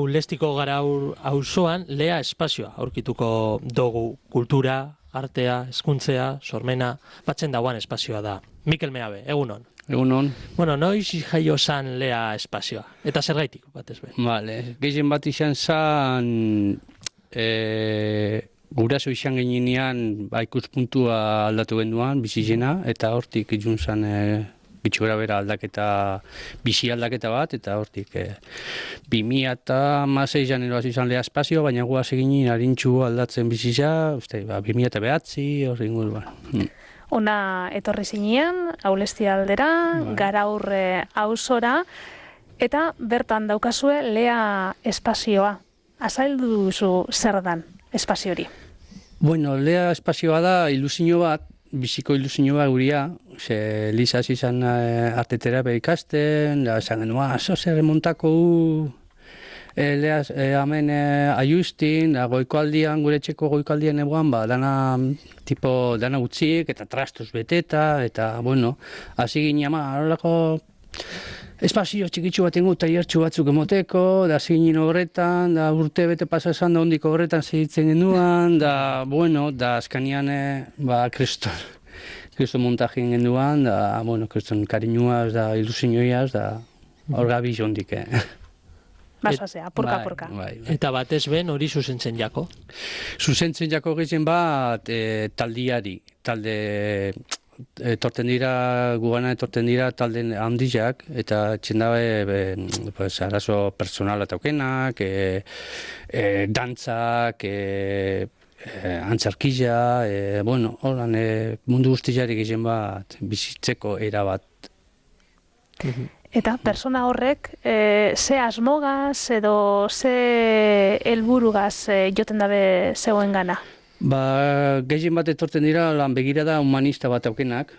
Lestiko gara auzoan lea espazioa aurkituko dugu kultura, artea, hezkuntzea, sormena, batzen dauan espazioa da. Mikel Meabe, egunon. Egunon. Bueno, noiz jaio zan lea espazioa, eta zergaitik, batez be. Vale, gehien bat izan zan, guraso izan ginean ikuspuntua aldatu genduan, bizizena, eta hortik izun zan gitxura bera aldaketa, bizi aldaketa bat, eta hortik 2006an eroaz izan lea espazioa, baina guaz eginin harintxu aldatzen bizitza, 2009, hori inguruan. Ona etorri zinean, Aulesti aldera, Garaur auzora, eta bertan daukazue lea espazioa. Azaldu duzu zer dan espazio hori? Bueno, lea espazioa da ilusio bat, biziko ilusio bat guria, ze Lisa izan arteterapia ikasten, da esan genuen, zer remontako leaz, hemen aiustin, goikoaldian, gure etxeko goikoaldian eguan, dana utziek eta trastos beteta, eta, bueno, hasi ginen, horrelako espazio txikitsu bat ingo, taiertxu batzuk emoteko, da hasi ginen horretan, da urte bete pasa esan, da ondiko horretan segitzen genduan, da, bueno, da azkanian, kriston montajien genduan, da, bueno, kriston kariñuaz, da ilusioiaz, da, hor gabiz ondik, Basazea, purka-purka. Eta batez ben hori zuzentzen jako? Zuzentzen jako gizien bat taldiari. Etorten dira, gugana etorten dira talde handiak, eta txendabe arazo personala taukenak, dantzak, antzarkila, bueno, horan mundu guztiari gizien bat bizitzeko erabat. Eta persona horrek, ze asmogaz edo ze helburugaz joten dabe zegoen gana? Gehien bat etorten dira lan begirada humanista bat aukenak,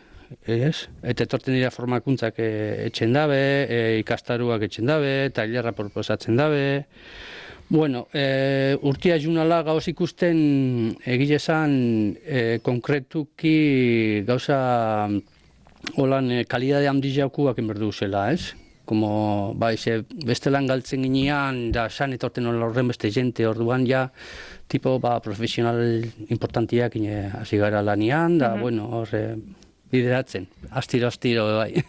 eta etorten dira formakuntzak etxen dabe, ikastaruak etxen dabe, tailerra proposatzen dabe. Bueno, urtia junala gauz ikusten egile zan konkretuki gauza holan kalidade handiakuak enberdu zela, ez? Como, bestelan galtzen ginean, da san etorten horren beste jente orduan, ja, tipo, profesional importantiak hasi gara lanian, da, bueno, horre, bideratzen, astiro, bai.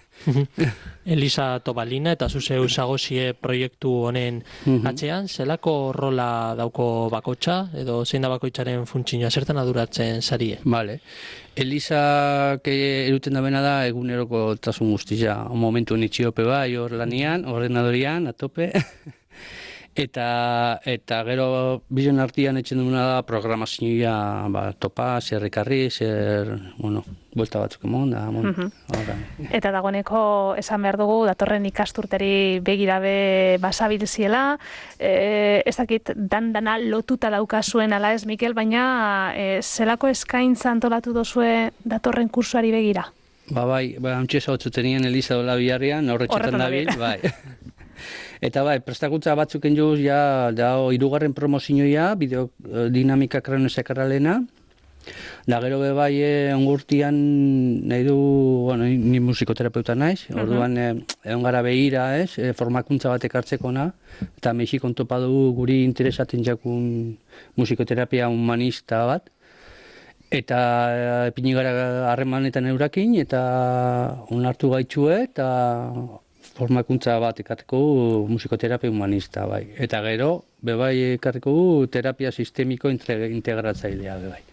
Elisa Tobalina eta zuzeu zagozie proiektu honen atzean, zelako rola dauko bakotxa, edo zein da bakoitzaren funtsinoa, zertan aduratzen zarie? Vale. Elisa eruten da bena da eguneroko tasun guztia, momentu nitxiope bai hor lanian, ordenadorian, atope, eta gero bizion artian etxen duguna da programazioa topa, zer ekarri, bueno, buelta batzuk emon, da, Eta dagoeneko esan behar dugu, datorren ikasturteri begirabe basabilziela, ez dakit dana lotuta daukazuen ala ez, Mikel, baina zelako eskaintza antolatu dozue datorren kursuari begira? Bai, hantxe zautzuten Elisa dola biharrian, horretxetan dabil, bai. Eta prestakuntza batzuken juz, hirugarren promozioa, bideodinamika kronosekarralena, da gero ongurtian nahi du, bueno, ni musikoterapeuta naiz, orduan egon gara behira, formakuntza bat ekartzekona, eta Mexikon topa dugu guri interesaten jakun musikoterapia humanista bat, eta epini gara harremanetan eurakin, eta onartu gaitxue, eta formakuntza bat ekarteko musikoterapia humanista, bai. Eta gero, ekarteko terapia sistemiko integratzailea, bai.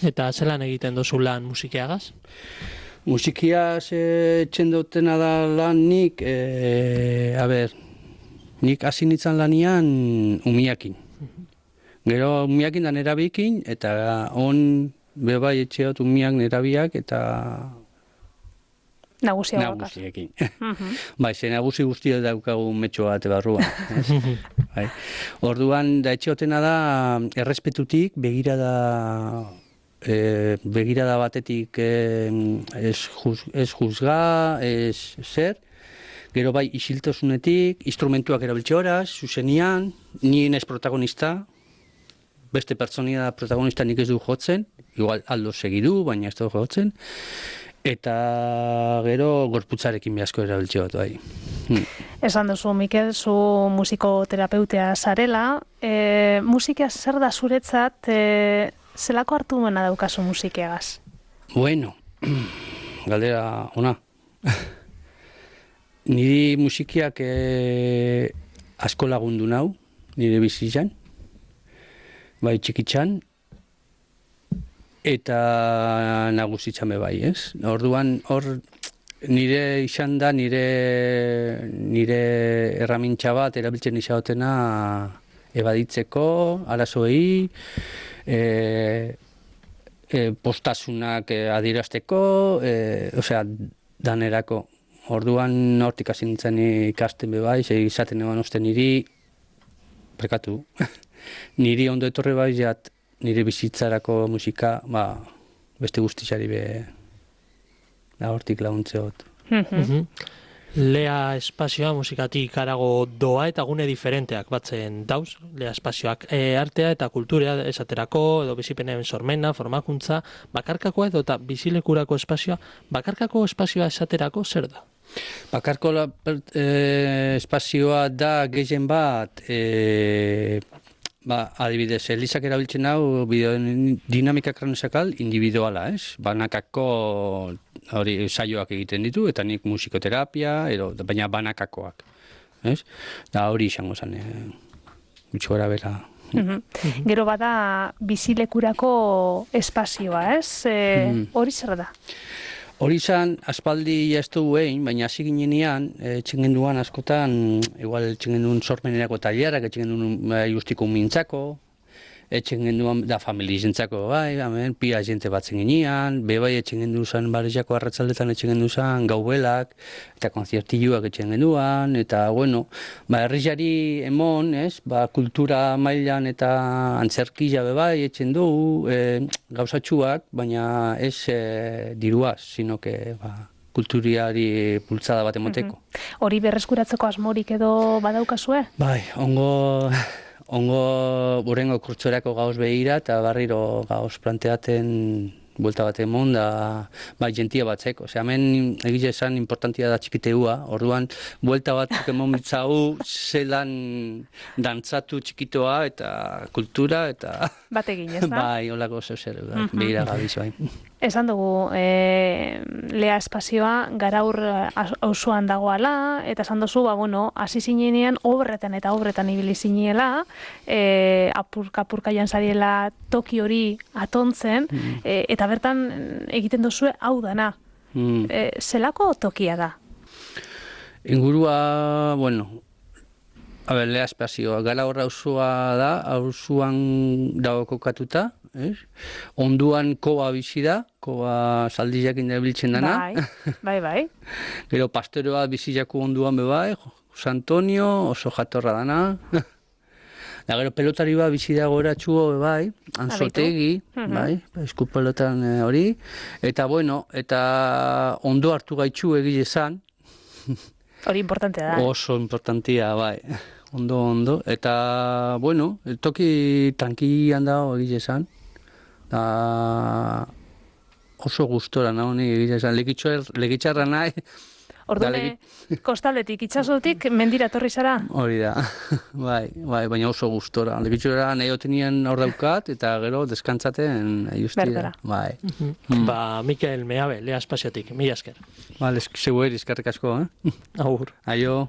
Eta zelan egiten dozu lan musikiagaz? Musikiaz txendotena da lan nik, nik hasi nintzen lanian umiakin. Gero umiakin da nerabikin, eta etxeot umiak nerabiak, eta nagusiekin. Ze nagusi guztia daukagu metxo bat barruan. Orduan, da etxeotena da, errespetutik, begirada batetik ez juzga, ez zer, gero isiltasunetik, instrumentuak erabiltze horaz, zuzenian, nien ez protagonista, beste pertsonia protagonista nik ez du jotzen, igual aldo segidu, baina ez du jotzen, eta gero gorputzarekin behazko erabiltze bat, bai. Esan duzu, Mikel, zu musikoterapeutea zarela. Musika zer da zuretzat, zelako hartu mena daukazu musikeagaz? Bueno, galdera ona. Niri musikiak asko lagundu nau, nire bizitzan, bai txikitzan, eta nagusitzan be bai, ez? Orduan, hor nire izan da, nire erramintza bat erabiltzen izatena ebaditzeko, arazoei, postasunak adierazteko, osea, danerako. Orduan hortik hasi nintzen ikasten be bai, izaten eban uste niri, prekatu, niri ondo etorri bai jat, nire bizitzarako musika, beste guztitzari be, da hortik laguntzeot. Lea espazioa musikatik harago doa eta gune diferenteak batzen dauz, lea espazioak artea eta kultura esaterako, edo bizipenen sormena, formakuntza, bakarkakoa edo eta bizilekurako espazioa, bakarkako espazioa esaterako zer da? Bakarko espazioa da gehien bat, adibidez, Elizak erabiltzen hau bideodinamika kraneosakal individuala, ez? Banakako hori saioak egiten ditu, eta nik musikoterapia, baina banakakoak, ez? Da hori izango zen, gutxi gora bera. Gero bada bizilekurako espazioa, ez? Hori zer da? Hori izan, aspaldi jaztu egin, baina hasi ginenean, txengenduan askotan, igual txengendun sormenerako tailerak, txengendun justiko mintzako, txengenduan da familizentzako, bai, pia jente batzen ginean, bebai txengendu zen barriako arratzaldetan txengendu zen gaubelak, eta konzertiluak txengenduan, eta, bueno, herriari emon, ez, kultura mailan eta antzerkia bebai etxen du, gauzatxuak, baina ez diruaz, sino que, kulturiari bultzada bat emoteko. Hori berreskuratzeko asmorik edo badaukazue? Bai, ongo burengo kurtsorako gauz behira eta barriro gauz planteaten buelta bat emon da jentia batzeko. Osea, hemen egize esan importantia da txikiteua, orduan buelta batzuk emon bitzau zelan dantzatu txikitoa eta kultura eta... Bategin, ez da? Bai, holako zer, behira gabiz, bai. Esan dugu, lea espazioa garaur auzoan dagoala, eta esan duzu, hasi zinenean obretan eta obretan ibili zinela, apurka jantzariela toki hori atontzen, eta bertan egiten duzue hau dana. Zelako tokia da? Ingurua, lea espazioa, gara horra auzoa da, auzoan dago kokatuta, onduan koba bizi da, koba zaldiak indabiltzen dana. Bai. Gero pastoreoa biziako onduan bebai, Jose Antonio, oso jatorra dana. Da gero pelotari bat bizi dago eratxuo bebai, Anzotegi, bai, esku pelotan hori. Eta eta ondo hartu gaitxu egile zan. Hori importantea da. Oso importantia, bai. Ondo. Eta, toki tranquilian dago egile zan. Oso gustora nahi egile zan. Legitxarra nahi. Orduan, kostaldetik, itxasotik, mendira torri zara? Hori da, bai, baina oso gustora. Legitxora nahi otenien hor daukat, eta gero deskantzaten justira. Bai. Mikel Meabe, lea espaziotik, mila esker. Zeu eskerrik asko, Agur. Aio.